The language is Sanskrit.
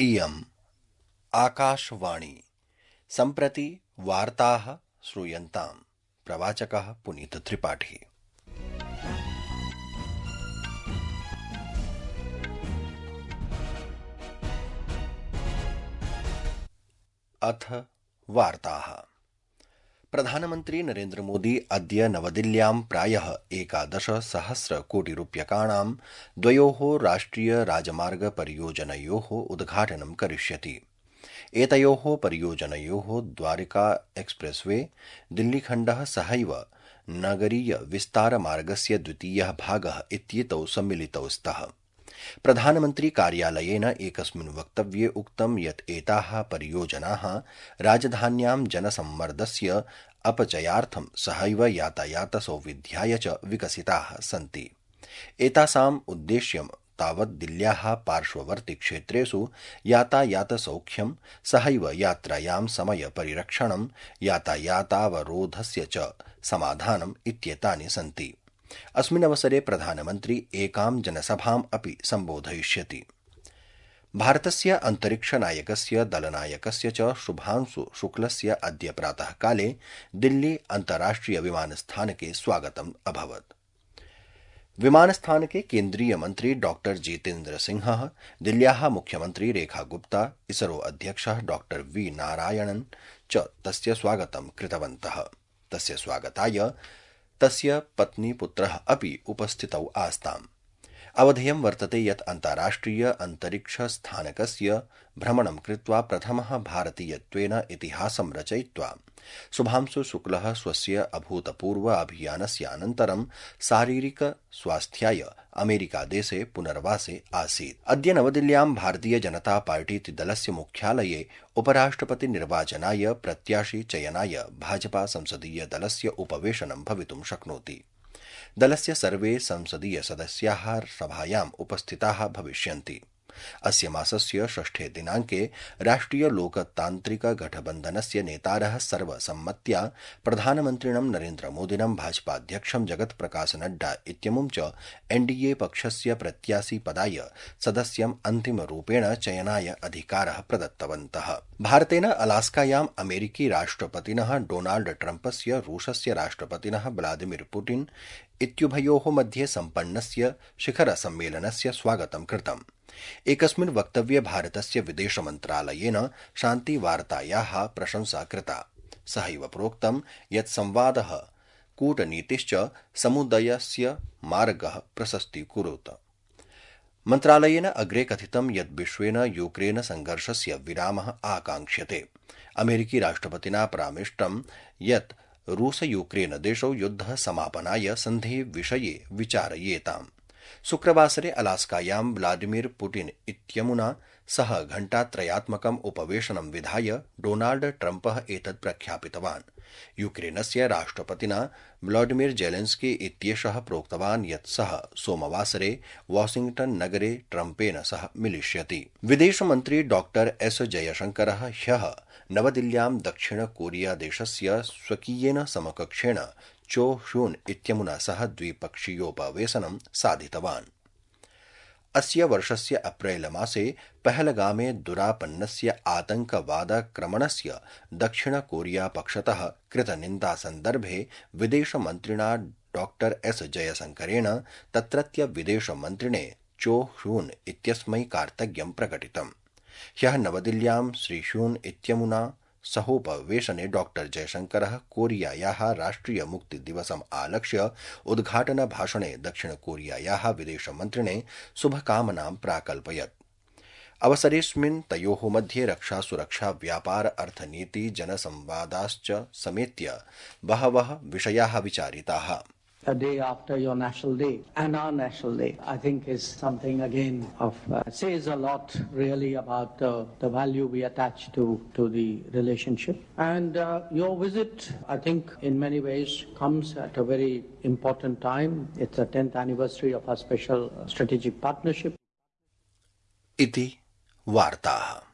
इयम् आकाशवाणी। सम्प्रति वार्ताः श्रूयन्ताम्। प्रवाचकः पुनीत त्रिपाठी। अथ वार्ताः। प्रधानमन्त्री नरेन्द्र मोदी अद्य नवदिल्ल्यां प्रायः 11,000 कोटिरूप्यकाणां द्वयोः राष्ट्रिय राजमार्ग परियोजनयोः उद्घाटनं करिष्यति। एतयोः परियोजनयोः द्वारिका एक्सप्रेसवे दिल्लीखण्डः सहैव नगरीय विस्तारमार्गस्य द्वितीयः भागः इत्येतौ सम्मिलितौ स्तः। प्रधानमन्त्री कार्यालयेन एकस्मिन् वक्तव्ये उक्तं यत् एताः परियोजनाः राजधान्यां जनसम्मर्दस्य अपचयार्थं सहैव यातायात सौविध्याय च विकसिताः सन्ति। एतासाम् उद्देश्यं तावत् दिल्ल्याः पार्श्ववर्ति क्षेत्रेषु यातायातसौख्यं सहैव यात्रायां समय परिरक्षणं यातायातावरोधस्य च समाधानम् इत्येतानि सन्ति। अस्मिन् अवसरे प्रधानमन्त्री एकां जनसभाम् अपि सम्बोधयिष्यति। भारतस्य अन्तरिक्षनायकस्य दलनायकस्य च शुभांशु शुक्लस्य अद्य प्रातःकाले दिल्ली अन्ताराष्ट्रिय विमानस्थानके स्वागतम् अभवत्। विमानस्थानके केन्द्रीय मन्त्री डॉ जितेन्द्र सिंहः, दिल्ल्याः मुख्यमन्त्री रेखा गुप्ता, इसरो अध्यक्षः डॉ वी नारायणन् च तस्य स्वागतं कृतवन्तः। तस्य स्वागताय तस्य पत्नी पुत्रः अपि उपस्थितौ आस्ताम्। अवधेयं वर्तते यत् अन्ताराष्ट्रिय अन्तरिक्षस्थानकस्य भ्रमणं कृत्वा प्रथमः भारतीयत्वेन इतिहासं रचयित्वा शुभांशु शुक्लः स्वस्य अभूतपूर्व अभियानस्य अनन्तरं शारीरिक स्वास्थ्याय अमेरिकादेशे पुनर्वासे आसीत्। अद्य नवदिल्ल्यां भारतीय जनता पार्टीति दलस्य मुख्यालये उपराष्ट्रपति निर्वाचनाय प्रत्याशी चयनाय भाजपा संसदीय दलस्य उपवेशनं भवितुं शक्नोति। दलस्य सर्वे संसदीय सदस्याः सभायाम् उपस्थिताः भविष्यन्ति। अस्य मासस्य 6 दिनाङ्के राष्ट्रिय लोकतान्त्रिक गठबन्धनस्य नेतारः सर्वसम्मत्या प्रधानमन्त्रिणं नरेन्द्र मोदिनं भाजपाध्यक्षं जगत्प्रकाश नड्डा इत्यमुं च एनडीए पक्षस्य प्रत्याशी पदाय सदस्यम् अन्तिमरूपेण चयनाय अधिकारः प्रदत्तवन्तः। भारतेन अलास्कायाम् अमेरिकी राष्ट्रपतिनः डोनाल्ड ट्रम्पस्य रूसस्य राष्ट्रपतिनः व्लादिमीर पुतिन इत्युभयोः मध्ये सम्पन्नस्य शिखरसम्मेलनस्य स्वागतं कृतम्। एकस्मिन् वक्तव्ये भारतस्य विदेशमन्त्रालयेन शान्तिवार्तायाः प्रशंसा कृता। सहैव प्रोक्तं यत् संवादः कूटनीतिश्च समुदयस्य मार्गः प्रशस्तीकुरुत। मन्त्रालयेन अग्रे कथितं यत् विश्वेन यूक्रेन संघर्षस्य विरामः आकाङ्क्ष्यते। अमेरिकी राष्ट्रपतिना परामृष्टं यत् रूस यूक्रेन देशौ युद्धः समापनाय सन्धेः विषये विचारयेताम्। शुक्रवासरे अलास्कायां व्लादिमीर पुतिन इत्यमुना सह घण्टात्रयात्मकम् उपवेशनं विधाय डोनाल्ड ट्रम्पः एतत् प्रख्यापितवान्। यूक्रेनस्य राष्ट्रपतिना व्लादिमीर जेलेन्स्की इत्येषः प्रोक्तवान् यत् सः सोमवासरे वाशिंग्टन नगरे ट्रम्पेन सह मिलिष्यति। विदेशमन्त्री डॉ एस जयशंकरः ह्यः नवदिल्ल्यां दक्षिण कोरिया देशस्य स्वकीयेन समकक्षेण चो ह्यून इत्यमुना सह द्विपक्षीयोपवेशनं साधितवान्। अस्य वर्षस्य अप्रैल मासे पहलगामे दुरापन्नस्य आतंकवादाक्रमणस्य दक्षिण कोरिया पक्षतः कृतनिन्दासन्दर्भे विदेशमन्त्रिणा डॉ एस जयशंकरेण तत्रत्य विदेशमन्त्रिणे चो ह्यून इत्यस्मै कार्तज्ञं प्रकटितम्। ह्यः नवदिल्ल्यां श्री ह्यून इत्यमुना सहोपवेशने डॉ जयशंकरः कोरियायाः राष्ट्रिय मुक्तिदिवसम् आलक्ष्य उद्घाटनभाषणे दक्षिणकोरियायाः विदेशमन्त्रिणे शुभकामनां प्राकल्पयत्। अवसरेऽस्मिन् तयोः मध्ये रक्षा सुरक्षा व्यापार अर्थनीति जनसंवादाश्च समेत्य बहवः विषयाः विचारिताः। A day after your National Day and our National Day, I think is something again of says a lot really about the value we attach to the relationship. And your visit, I think, in many ways comes at a very important time. It's the 10th anniversary of our special strategic partnership. इति वार्ताः।